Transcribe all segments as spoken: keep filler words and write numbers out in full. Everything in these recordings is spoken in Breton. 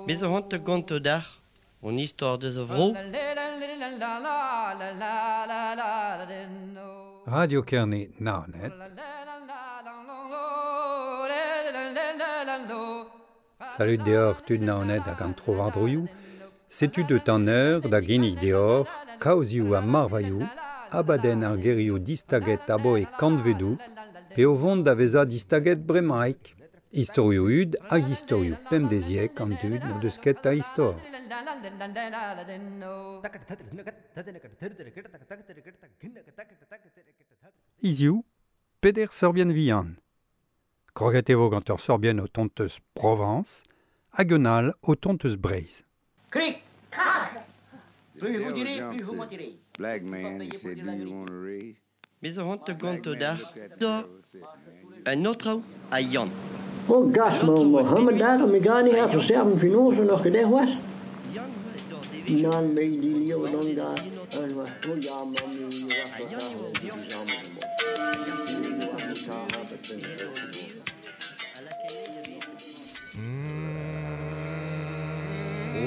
Bez a hont gonto d'ar, on istor deus a vro. Radio Kerne Naoned. Salut deoc'h tud Naoned hag an tro war droioù. Setu deut an eur da ginnig deoc'h, kaozioù ha marvailhoù, abadenn ar gerioù distaget aboe kantvedoù, pe o vont da vezañ distaget bremaik. Istorioù hud hag istorioù pemdeziek an dud n'o deus ket a istor. Hiziv, peder sorbienn vihan. Kroget e vo gant ur sorbienn o tont eus Provence hag un all o tont eus Breizh. Krik, krak. Plus vous direz, plus vous mentirez. Black man, he said, do you want a raise? Bez a hont gonto d'ar, da un autre a Yann. Oh, gas, Mohammed daar, mi gani ha verserven finoso noch gedech was? Nan me di lio non da. Oh ja, mamma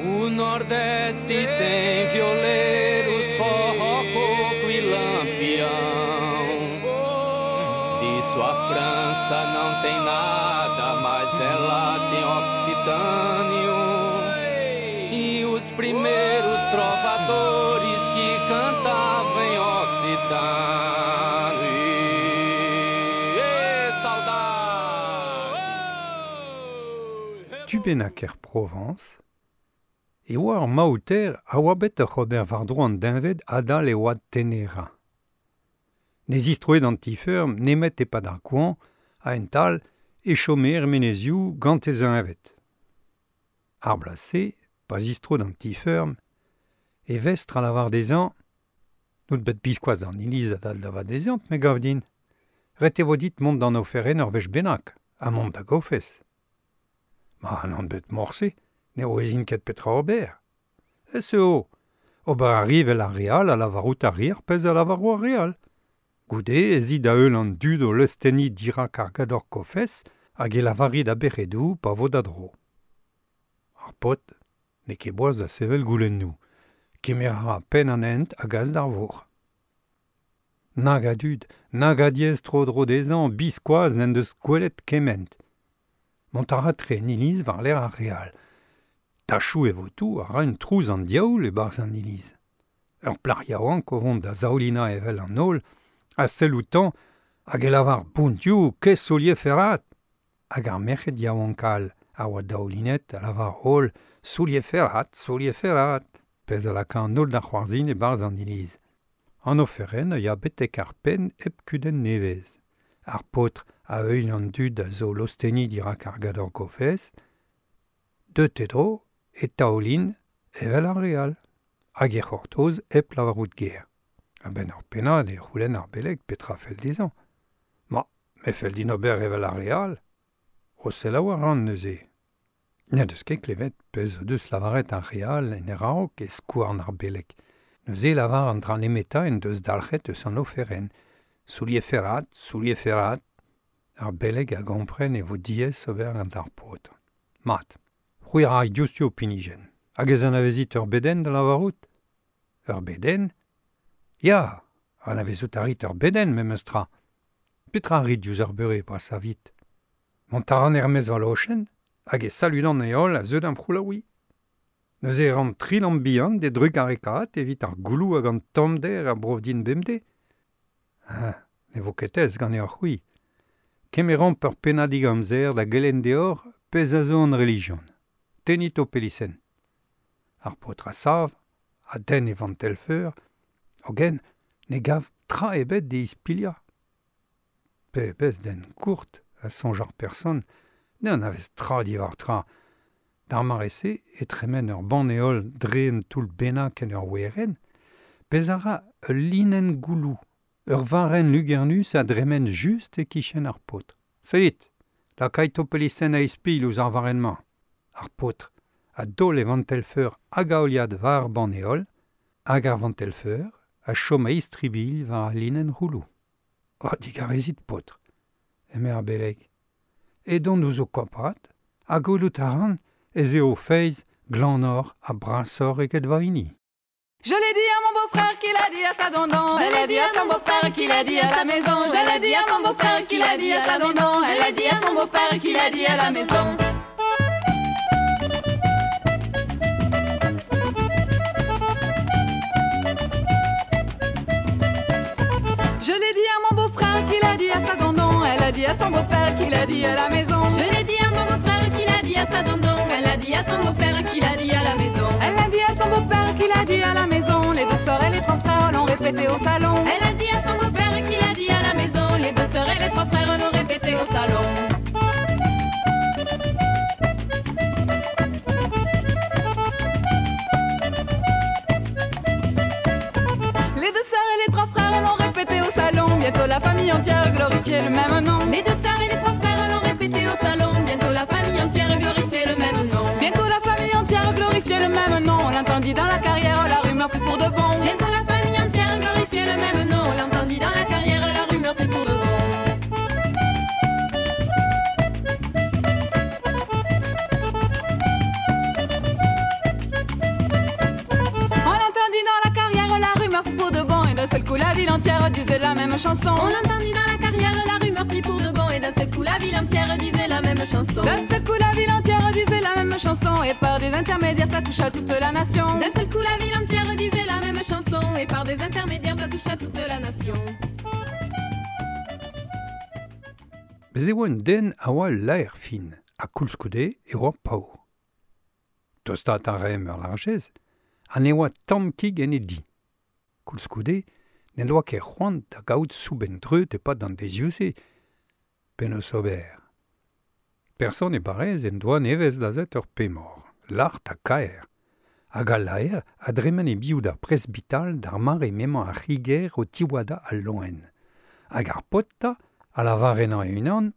O Nordeste tem violeiros, forró, coco e lampião. Disso a França não tem nada, mas ela tem occitânio. E os primeiros trovadores que cantavam em occitano. E, saudade! Tu bennak er Provence, e oa ar maouter a oa bet ur Robert war-dro an deñved adal e oa tenera. Ne zistroet an ti-feurm nemet e-pad ar goañv a ental e chome er menezioù gant e zeñved. Ar bloaz-se, pa zistro d'an ti-feurm, e vestr a lavar dezhañ n'out bet biskoazh d'an iliz adal da vadeziant, me gav din. Ret e vo dit mont d'an oferenn ur wech bennak, ha mont da gofes. Ma n'on bet morse, ne ouezin ket petra ober. Ez eo, ober a ri vel ar re all a lavarout a ri ar pezh a lavaro ar re all. Goude ez i da heul an dud o leustenni dirak ar gador kofes hag e lavari da bec'hedoù pa vo da dro. Ar paotr n'eo ket boaz da sevel goulennoù, kemer a ra penn an hent hag az d'ar vor. Nag a dud, nag a diez tro-dro dezhañ biskoazh n'en deus gwelet kement. Mont a ra tre en iliz war-lerc'h ar re all. Tachoù e votoù a ra un trouz an diaoul e-barzh an iliz. Ur plac'h yaouank o vont da zaoulinañ evel an holl, a sell outañ hag e lavar Bondiou, ket solier ferrat. Hag ar merc'hed yaouank all a oa daoulinet a lavar holl solier ferrat, solier ferrat, pezh a laka an holl da c'hoarzhin e-barzh an iliz. An oferenn a ya betek ar penn hep kudenn nevez. Ar paotr a heuilh an dud a zo lostenni dirak ar gador kofes, deut e dro e taolin evel ar re all, hag e c'hortoz hep lavarout ger. A-benn ar pennad e c'houlenn ar beleg petra fell dezhañ. Ma, me fell din ober evel ar re all. O selaou a ran neuze. N'en deus ket klevet pezh o deus lavaret ar re all en e raok e skouarn ar beleg. Neuze lavar an dra nemetañ en deus dalc'het eus an oferenn. Soulier ferrat, soulier ferrat. Ar beleg a gompren e vo diaes ober gant ar paotr. Mat, c'hwi a ray diouzhtu ho pinijenn. Hag ez anavezit ur bedenn da lavarout? Ur bedenn? Ya, anavezout a rit ur bedenn memes tra. Petra a rit diouzh ar beure pa savit? Mont a ran er-maez war lochenn, hag e saludan e holl a zeu d'am c'houlaouiñ. Neuze e ran tri lamp bihan d'e drugarekaat evit ar gouloù hag an tommder a brof din bemdez. Ah, ne vo ket aes ganeoc'h c'hwi. Kemeromp ur pennadig amzer da gelenn deoc'h pezh a zo an relijion. Tennit ho pelisenn. Ar paotr a sav, a denn e vantell-feur, hogen ne gav tra ebet d'e ispilhañ. Pebezh den kourt, a soñj ar person, ne anavez tra diwar tra. D'ar mare-se e tremen ur bann-heol dre un toull bennak en ur werenn, pezh a ra ul linenn gouloù, ur varrenn lugernus a dremen just e-kichen ar paotr. Sellit, lakait ho pelisenn a-ispilh ouzh ar varrenn-mañ. Ar paotr a daol e vantell-feur hag a-oliad war ar bann-heol, hag ar vantell-feur a chom a-istribilh war al linenn c'houloù. Oh, digarezit, paotr. eme ar beleg. Edon ouzh o koprat, ha gwelout a ran ez eo feiz glanor ha brasor eget va hini. Je l'ai dit à mon beau-frère qu'il a dit à sa dondon. Je l'ai dit à son beau-frère qu'il a dit à la maison. Je l'ai dit à son beau-frère qu'il a dit à sa dondon. Elle a dit à son beau-frère qu'il a dit à la maison. Je l'ai dit à mon beau-frère qu'il a dit à sa dondon. Elle a dit à son beau-père qu'il a dit à la maison. Je l'ai dit à mon beau-frère qu'il a dit à sa dondon. Elle a dit à son beau-père qu'il a dit à la maison. Elle a dit à son beau-père qu'il a dit à la maison. Les deux sœurs et les trois frères l'ont répété au salon. Elle a dit à son beau-père qu'il a dit à la maison. Les deux sœurs et les trois frères l'ont répété au salon. Les deux sœurs et les trois frères l'ont répété au salon. Bientôt la famille entière glorifiait le même nom. Les deux sœurs et les trois frères l'ont répété au salon. Bientôt la famille entière glorifiait le même nom. Bientôt la famille entière glorifiait le même nom. On l'entendit dans la carrière, la rumeur prit pour de bon. Bientôt la famille entière glorifiait le même nom. On l'entendit dans la carrière, la rumeur prit pour de bon. On l'entendit dans la carrière, la rumeur prit pour de bon. Et d'un seul coup la ville entière disait la même chanson. On l'entendit dans la carrière, la rumeur prit pour de bon. Et d'un seul coup la ville entière disait la même chanson. D'un seul coup la ville entière disait la même chanson. Et par des intermédiaires ça toucha toute la nation. D'un seul coup la ville entière disait la même chanson. Et par des intermédiaires ça toucha toute la nation. Bez e oa un den a oa ul laer fin, ha koulskoude e oa paour. Tostat a rae ur largez, ha ne oa tamm kig en e di. Koulskoude, n'en doa ket c'hoant da gaout soubenn dreut e-pad an deizioù-se, penaos ober. Person e barrez en doa nevez lazhet ur pemor, lart ha kaer. Hag al laer a dremen e bioù d'ar presbital d'ar mare m'emañ ar c'higer o tiwada al loen. Hag ar paotr a lavaren an e-unan,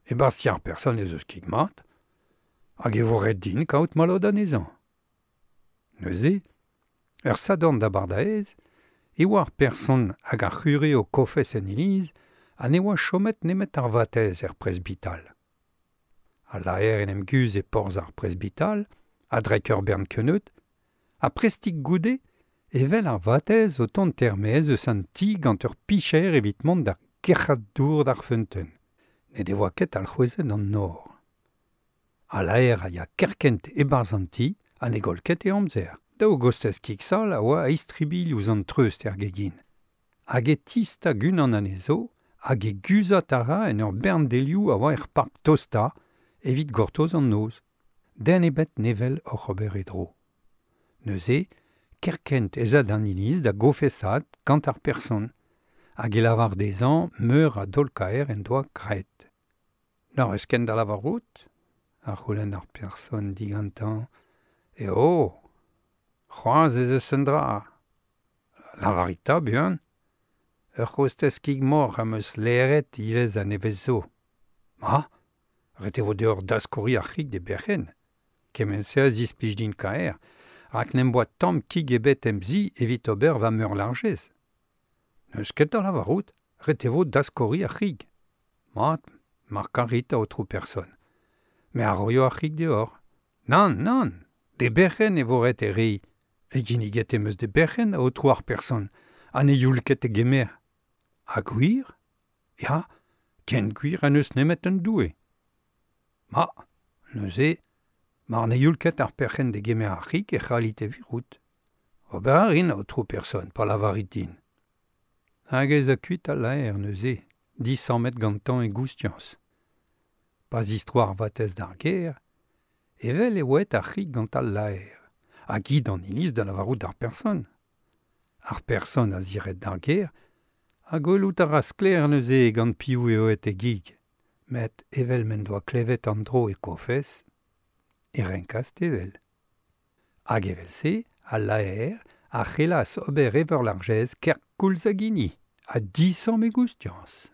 e barz ar person ez eus kig mat, hag e vo ret din kaout malod anezhañ. Neuze, ur sadorn d'abardaez, e oa ar person hag ar c'hure o kofes en iliz, ha ne oa chomet nemet ar vatez er presbital. Al laer en em guzh e porzh ar presbital, a-drek ur bern keuneud, ha prestik goude, evel ar vatez o tont termez eus an ti gant ur picher evit mont d'ar kerc'hat dour d'ar feunteun. Ne devoa ket alc'hwezet an nor. Al laer a ya kerkent e-barzh an ti, ha ne goll ket e amzer. Daou gostez kig-sall a oa a-istribilh ouzh an treust er gegin. Hag e tistag unan anezho, hag e guzhat a ra en ur bern delioù a oa er park tostañ evit gortoz an noz. Den ebet nevel oc'h ober e dro. Neuze, kerkent ez a d'an iliz da gofesat gant ar person, hag e lavar dezhañ meur a daol kaer en doa graet. N'ar eus ken da lavarout, a c'houlenn ar person digantañ. E oh, c'hoazh ez eus un dra. Lavarita buan. Ur c'hostez kig mor am eus laeret ivez a nevez zo. Ma, ret e vo deoc'h daskoriñ ar c'hig d'e berc'henn. Kement-se a zisplij din kaer, rak n'em boa tamm kig ebet em zi evit ober va meurlarjez. N'eus ket da lavarout, ret e vo daskoriñ ar c'hig. Mat, mar karit aotrou person. Me a roio ar c'hig deoc'h. Nann, nann, d'e berc'henn e vo ret e reiñ. E ginniget em eus d'e berc'henn aotrou ar person, ha ne youl ket e gemer. Ha gwir? Ya, ken gwir ha n'eus nemet un doue. Ma, neuze, mar ne youl ket ar perc'henn de gemer ar c'hig e c'hallit e virout. Ober a rin aotrou person, pa lavarit din. Hag ez a kuit al laer neuze, disammet gantañ e goustiañs. Pa zistro ar vatez d'ar gêr, evel e oaet ar c'hig gant al laer, hag hi d'an iliz da lavarout d'ar person. Ar person a zired d'ar gêr, ha gwelout a ra sklaer neuze gant piv eo aet e gig. Met evel m'en doa klevet an dro e kofes, e renkas tevel. Hag evel-se, al laer a c'hellas ober e veurlarjez kerkoulz hag hini, ha disamm e goustiañs.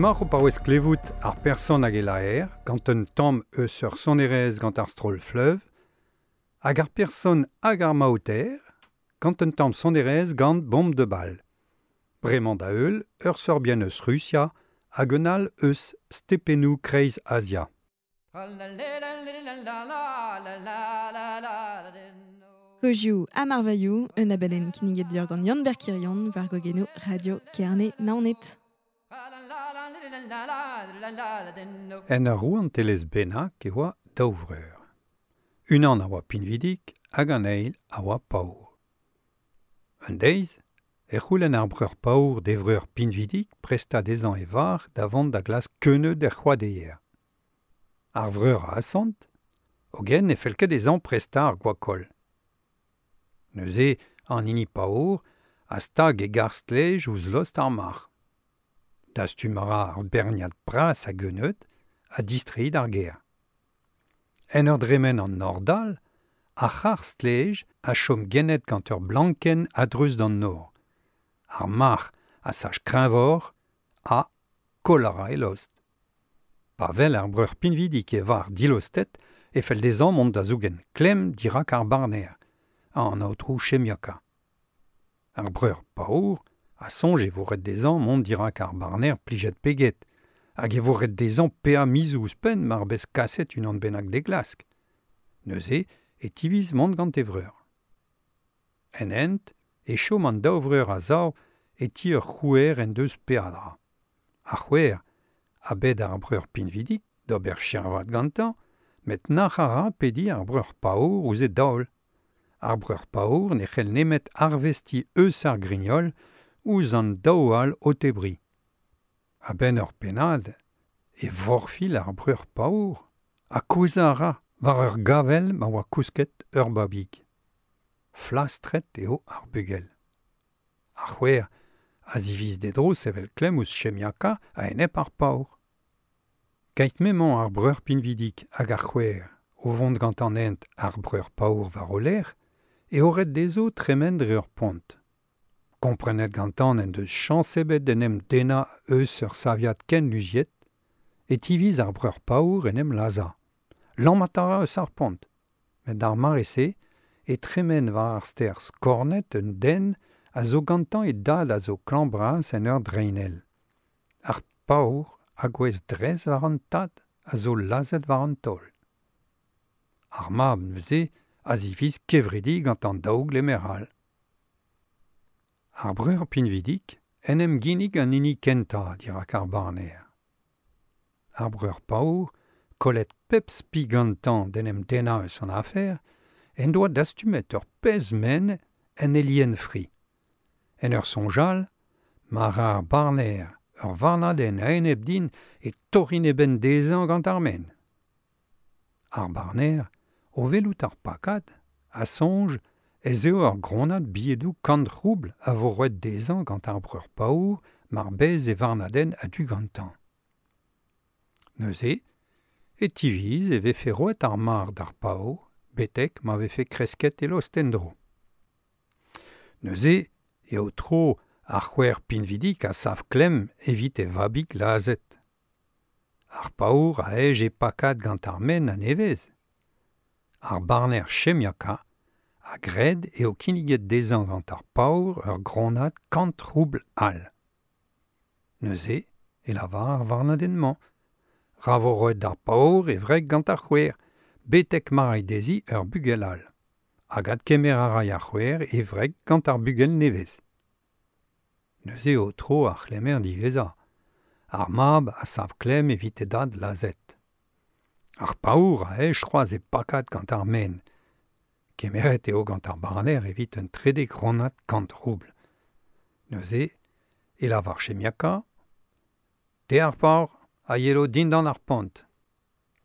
Emañ o paouez klevout ar person hag e laer, gant un tamm eus ur sonerezh gant ar stroll fleuve, hag ar person hag ar maouter, gant un tamm sonerezh gant bombe de balle. Bremañ da heul, ur sorbienn eus Rusia hag un all eus stepennoù kreiz Azia. Kozioù ha marvailhoù, un abadenn kinniget dior gant Yann Berkirion war gogenoù Radio Kerne Naoned. En ur rouantelezh bennak e oa daou vreur. Unan a oa pinvidik hag an eil a oa paour. Un deiz, e c'houlenn ar breur paour d'e vreur pinvidik prestañ dezhañ e varc'h da vont da glask keuneud er c'hoadeier. Ar vreur a asant, hogen ne fell ket dezhañ prestañ ar gwakol. Neuze an hini paour a stag e garr-stlej ouzh lost ar marc'h. Dastum a ra ar berniad bras a geuneud ha distreiñ d'ar gêr. En ur dremen an nordal, ar c'harr-stlej a chom gennet gant ur blankenn a-dreuz d'an nor. Ar marc'h a sach kreñvoc'h ha koll a ra e lost. Pa wel ar breur pinvidik e varc'h dilostet e fell dezhañ mont da zougen klemm dirak ar barner, an aotrou Chemiaka. Ar breur paour a soñj e vo ret dezhañ mont dirak ar barner plijet peget, hag e vo ret dezhañ paeañ mizoù ouzhpenn mar bez kaset unan bennak d'e glask. Neuze e tiviz mont gant e vreur. En hent, e chom an daou vreur a-sav e ti ur c'houer en deus peadra. Ar c'houer a bed ar breur pinvidik d'ober chervat gantañ, met nac'h a ra pediñ ar breur paour ouzh e daol. Ar breur paour ne c'hell nemet arvestiñ eus ar grignol ouzh an daou all o tebriñ. A-benn ur pennad, e vorfil ar breur paour ha kouezhañ a ra war ur gavell ma oa kousket ur babig. Flastret eo ar bugel. Ar c'houer a ziviz d'e dro sevel klemm ouzh Chemiaka a-enep ar paour. Keit m'emañ ar breur pinvidik hag ar c'houer o vont gant an hent ar breur paour war o lerc'h eo ret dezho tremen dre ur pont. Komprenet gantañ en deus chañs ebet d'en em dennañ eus ur saviad ken luziet, e tiviz ar breur paour en em lazhañ. Lammat a ra eus ar pont. Met ar mare-se e tremen war ar stêr skornet un den a zo gantañ e dad a zo klañv-bras en ur dreinell. Ar paour a gouez dres war an tad a zo lazhet war an taol. Ar mab neuze a ziviz kevredi gant an daou glemmer all. Ar breur pinvidik en em ginnig an hini kentañ dirak ar barner. Ar breur paour, kollet pep spi gantañ d'en em dennañ eus an afer, en doa dastumet ur pezh men en e lien fri. En ur soñjal, mar ar barner ur varnadenn a-enep din e torrin e benn dezhañ gant ar men. Ar barner, o welout ar pakad, a soñj ez eo ur gronnad bilhedoù kant roubl a vo roet dezhañ gant ar breur paour mar bez e varnadenn a-du gantañ. Neuze, e tiviz e vefe roet ar marc'h d'ar paour, betek ma vefe kresket e lost en-dro. Neuze eo tro ar c'houer pinvidik a sav klemm evit e vabig lazhet. Ar paour a hej e pakad gant ar men a-nevez. Ar barner Chemiaka a gred eo kinniget dezhañ gant ar paour ur gronnad kant roubl all. Neuze e lavar ar varnadenn-mañ. Ra vo roet d'ar paour e wreg gant ar c'houer, betek ma ray dezhi ur bugel all. Hag adkemer a ray ar c'houer e wreg gant ar bugel nevez. Neuze eo tro ar c'hlemmer diwezhañ. Ar mab a sav klemm evit e dad lazhet. Ar paour a hej c'hoazh e pakad gant ar men. Kemeret eo gant ar barner evit un trede gronnad kant roubl. Neuze e lavar Chemiaka, te ar paour a yelo dindan ar pont.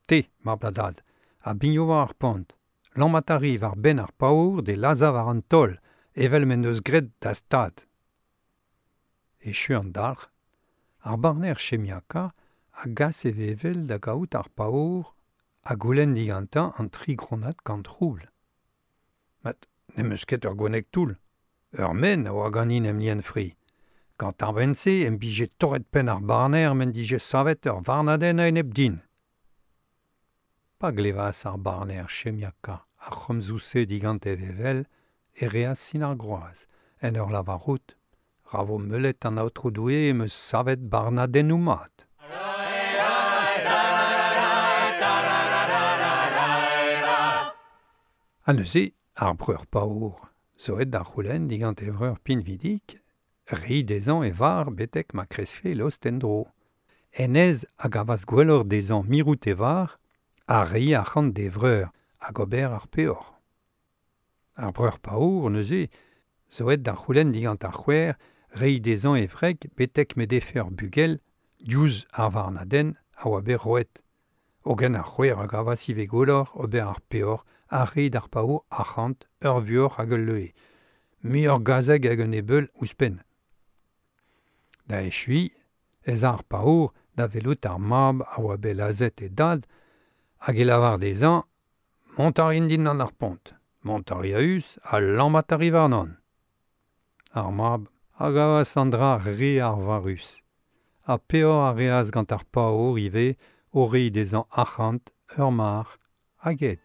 Te, mab da dad, a bigno war ar pont. Lammat a ri war benn ar paour d'e lazhañ war an taol, evel m'en deus graet d'az tad. Echu an dalc'h, ar barner Chemiaka a gas e vevel da gaout ar paour ha goulenn digantañ an tri gronnad kant roubl. Met n'em eus ket ur gwenneg toull. Ur men a oa ganin em lien fri. Gant ar benn-se em bije torret penn ar barner m'en dije savet ur varnadenn a-enep din. Pa glevas ar barner chemiaka ar c'homzoù-se digant e vevel e reas sin ar groaz, en ur lavarout, ra vo meulet an aotrou Doue em eus savet barnadennoù mat. Ha neuze, ar breur paour, zo aet da c'houlenn digant e vreur pinvidik, ri dezhañ e var betek ma kresfe lost en-dro. Hennezh hag a vas gwelloc'h dezhañ mirout e var, ha reiñ arc'hant d'e vreur hag ober ar peoc'h. Ar breur paour neuze zo aet da c'houlenn digant ar c'houer reiñ dezhañ e wreg betek m'he defe ur bugel diouzh ar varnadenn a oa bet roet. Hogen ar c'houer a gavas ivez gwelloc'h ober ar peoc'h ha reiñ d'ar paour arc'hant, ur vuoc'h hag ul leue. Muioc'h gazeg hag un ebeul ouzhpenn. Da echuiñ, ez a ar paour da welout ar mab a oa bet lazhet e dad hag e lavar dezhañ mont a rin dindan ar pont, mont a ri a-us ha lammat a ri warnon. Ar mab a gavas an dra re arvarus, ha peoc'h a reas gant ar paour ivez o reiñ dezhañ arc'hant, ur marc'h hag ed.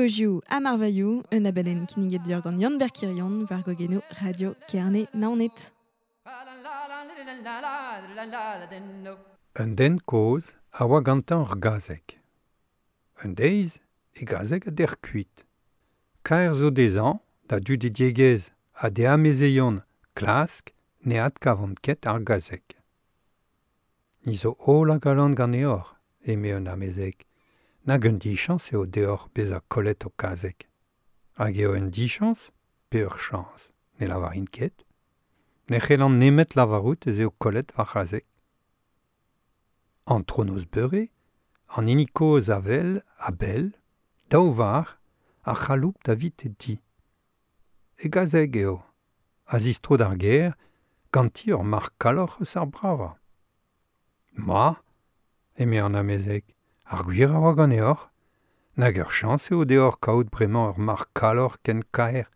Kozioù ha marvailhoù, un abadenn kinniget deoc'h gant Yann Berkirion war gogenoù Radio Kerne Naoned. Un den kozh a oa gantañ ur gazeg. Un deiz, e gazeg a dec'h kuit. Kaer zo dezhañ, da dud e diegezh ha d'e amezeion klask ne adkavont ket ar gazeg. Ni zo holl a galon ganeoc'h, eme un amezeg. Nag un dichañs eo deoc'h bezañ kollet ho kazeg. Hag eo un dichañs pe ur chañs, ne lavarin ket. Ne c'hellan nemet lavarout ez eo kollet va c'hazeg. Antronoz beure, an hini kozh a wel, a-bell, daou var, a c'haloup da vit e di. E gazeg eo, a zistro d'ar gêr, ganti ur marc'h kaloc'h eus ar bravañ. Ma, eme an amezeg, ar gwir a oa ganeoc'h, nag ur chañs eo deoc'h kaout bremañ ur marc'h kaloc'h ken kaer.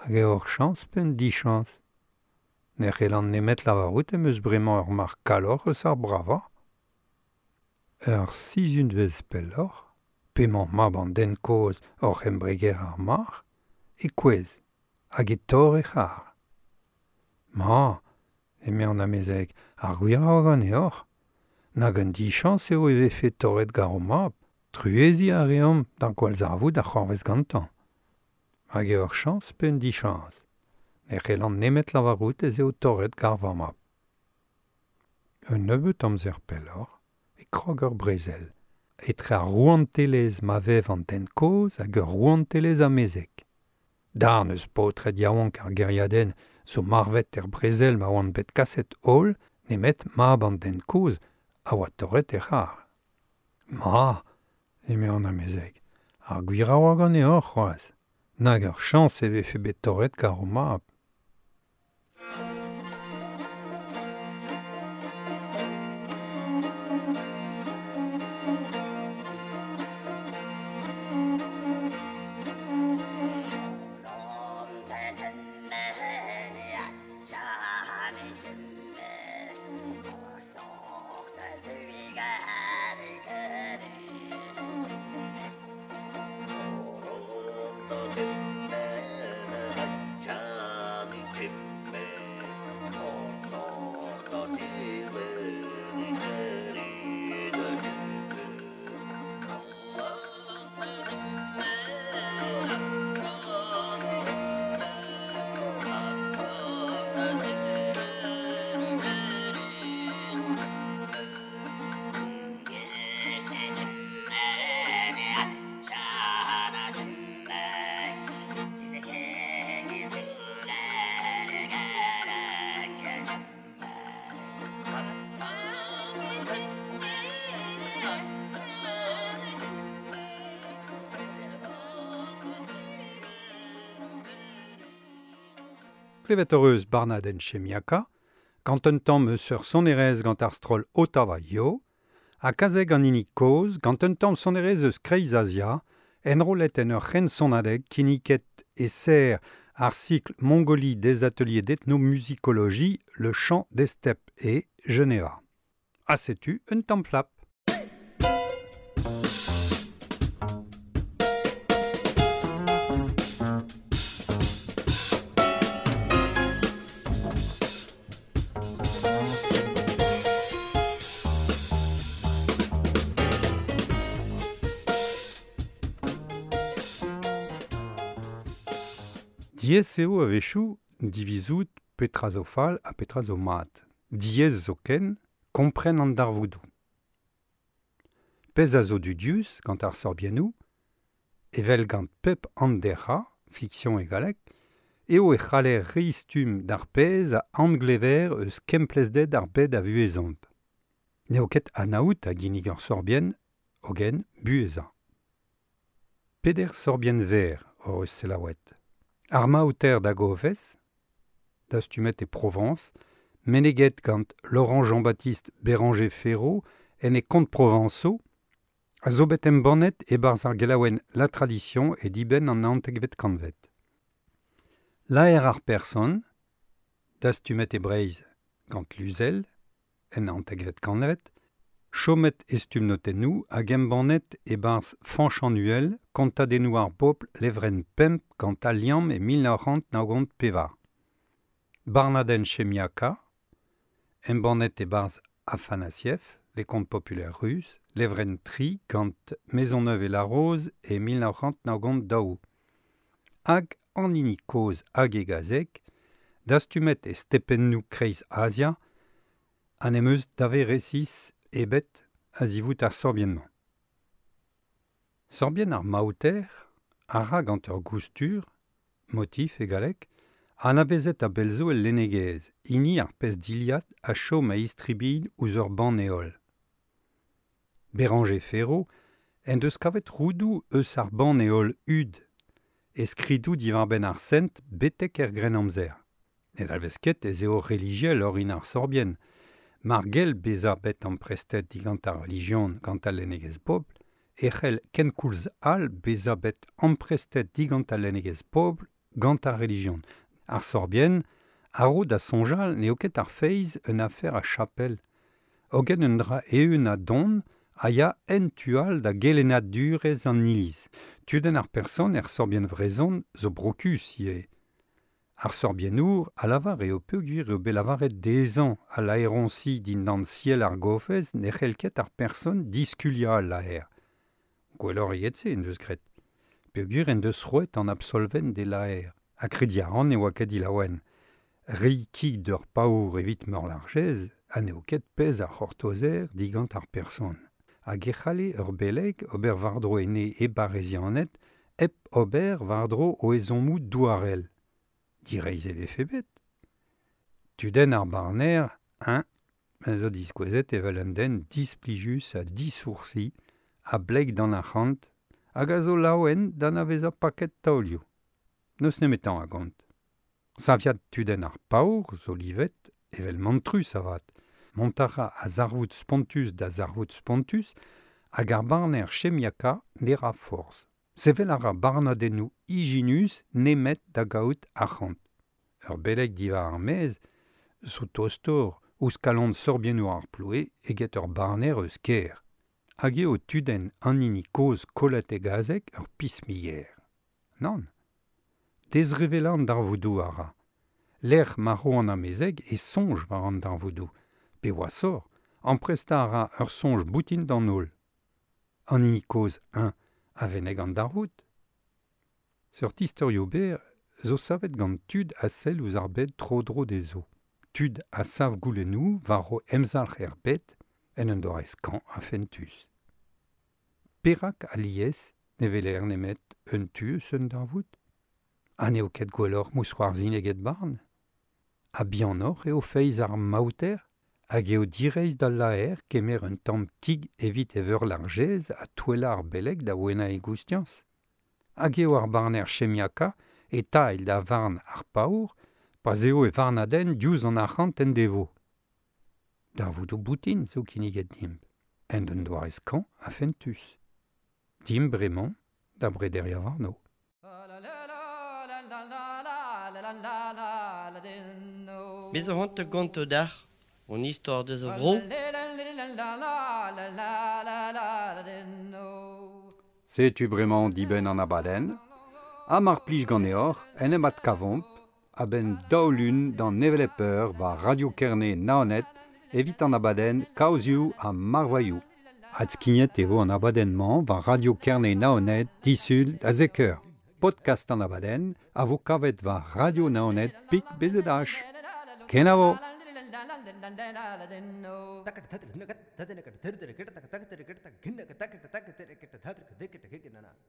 Hag eo ur chañs pe un dichañs. Ne c'hellan nemet lavarout em eus bremañ ur marc'h kaloc'h eus ar bravañ. Ur sizhunvezh pelloc'h, p'emañ mab an den kozh oc'h embreger ar marc'h, e kouezh hag e torr e c'har. Ma, eme an amezeg, ar gwir a oa ganeoc'h. Nag un dichañs eo e vefe torret gar ho mab, trueziñ a reomp d'ar gwallzarvoud a c'hoarvez gantañ. Hag eo ur chañs pe un dichañs. Ne c'hellan nemet lavarout ez eo torret gar va mab. Un nebeut amzer pelloc'h e krog ur brezel, etre ar rouantelezh ma vev an den kozh hag ur rouantelezh amezek. Darn eus paotred yaouank ar gêriadenn zo marvet er brezel ma oant bet kaset holl nemet mab an den kozh a oa torret e c'har. Ma, eme an amezeg, ar gwir a oa ganeoc'h c'hoazh. Nag ur chañs e vefe bet torret gar ho mab. Ciao. Klevet hor eus Barnadenn Chemiaka, gant un tamm eus ur sonerezh gant ar stroll Ottawa Yo, ha kazeg an hini kozh gant un tamm sonerezh eus Kreiz Azia, enrollet en ur c'hensonadeg kinniget e serr ar cycle Mongolie des ateliers d'ethnomusicologie, le chant des steppes et Geneva. Ha setu un tamm flap. Diaes eo a-wechoù divizout petra zo fall ha petra zo mat. Diaes zoken kompren an darvoudoù. Pezh a zo dudius gant ar sorbiennoù, evel gant pep an derc'ha, fiction e galleg, eo e c'haller reistum d'ar pezh a anglever eus kemplezded ar bed a vuhezomp. N'eo ket anaout a ginnig ur sorbienn, hogen buhezañ. Peder sorbienn ver hor eus selaouet. Ar maouter da govez, dastumet e Provence, meneget gant Laurent Jean-Baptiste Béranger Ferraud en e kont Provençaux, a zo bet embannet e-barzh ar gelaouenn La Tradition e dibenn an naontekvet kantved. Laer ar person, dastumet e Breizh gant Luzel, en naontekvet kantved, chomet e stumm notennoù hag embannet e-barzh Fañch an Uhel kontadennoù ar bobl levrenn pemp gant Al Liamm e mil nav c'hant naogont pevar. Barnadenn Chemiaka, embannet e-barzh Afanassieff, les contes populaires russes, levrenn tri gant Maisonneuve et la Rose e mil nav c'hant naogont daou. Hag an hini kozh hag e gazeg, dastumet e stepennoù Kreiz Azia, an em eus dave resis ebet a zivout ar sorbienn-mañ. Sorbienn ar maouter a ra gant ur goustur, motif e galleg, anavezet a bell zo el lennegezh, hini ar pezh dilhad a chom a istribilh ouzh ur bann-heol. Béranger Ferraud en deus kavet roudoù eus ar bann-heol hud e skridoù diwar-benn ar sent betek er Grennamzer. Ne dalvez ket ez eo relijiel orin ar sorbienn, mar gell bezañ bet amprestet digant ar relijion gant al lennegezh pobl, e c'hell kenkoulz all bezañ bet amprestet digant al lennegezh pobl gant ar relijion. Ar sorbienn a ro da soñjal n'eo ket ar feiz un afer a chapel. Hogen un dra eeun a don a ya en tu all da gelennadurezh an iliz. Tudenn ar person er sorbienn vrezhon zo brokus ivez. Ar sorbiennour a lavar eo peogwir eo bet lavaret dezhañ a laeroñsi dindan siell ar gofez ne c'hell ket ar person diskuliañ al laer. Gwelloc'h eget-se en deus graet. Peogwir en deus roet an absolvenn d'e laer. Ha krediñ a ran ne oa ket dilaouen. Reiñ kig d'ur paour evit meurlarjez ha n'eo ket pezh ar c'hortozer digant ar person. Hag e c'halle ur beleg ober war-dro ene e barezianed hep ober war-dro o ezhommoù douarel. Direizh e vefe bet. Tudenn ar barner, un, zo diskouezet evel un den displijus ha disoursi, a bleg d'an arc'hant, hag a zo laouen d'an a vezañ paket taolioù. N'eus nemetañ a gont. Saviad tudenn ar paour zo livet evel mantrus avat. Mont a ra a zarvoud spontus da zarvoud spontus hag ar barner Chemiaka ne ra forzh. Sevel a ra barnadennoù ijinus nemet da gaout arc'hant. Ur beleg diwar ar maez zo tostor ouzh kalon sorbiennoù ar ploe eget ur barner eus kêr. Hag eo tudenn an hini kozh kollet e gazeg ur pismier. Nann. Dezrevelañ an darvoudoù a ra. Lec'h ma ro an amezeg e soñj war an darvoudoù. Pe washoc'h, amprestañ a ra ur soñj boutin d'an holl. An hini kozh un a veneg an darvoud. Seurt istorioù berr zo savet gant tud a sell ouzh ar bed tro-dro dezho. Tud a sav goulennoù war o emzalc'h er bed en un doare skañv ha fentus. Perak alies ne weler nemet un tu eus un darvoud? Ha n'eo ket gwelloc'h mousc'hoarzhin eget barn? Ha bihanoc'h eo feiz ar maouter? Hag eo direizh d'al laer kemer un tamm kig evit e veurlarjez ha touellañ ar beleg da wennañ e goustiañs. Hag eo ar barner Chemiaka e tailh da varn ar paour pa'z eo e varnadenn diouzh an arc'hant en devo. Darvoudoù boutin zo kinniget dimp, en d'un doare skañv ha fentus. Dimp bremañ da brederiañ warno. Bez' c'hoant gonto dac'h. On istor deus a vro. Setu bremañ dibenn an abadenn. Ha mar plij ganeoc'h en em adkavomp a-benn daou lun d'an hevelep eur war Radio Kerne Naoned evit an abadenn Kaozioù ha Marvailhoù. Adskignet e vo an abadenn-mañ war Radio Kerne Naoned disul da zek eur. Podcast an abadenn a vo kavet war Radio Naoned pik B Z H. Kenavo!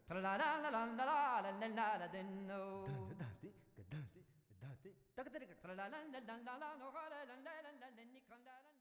La la la la la la la la la.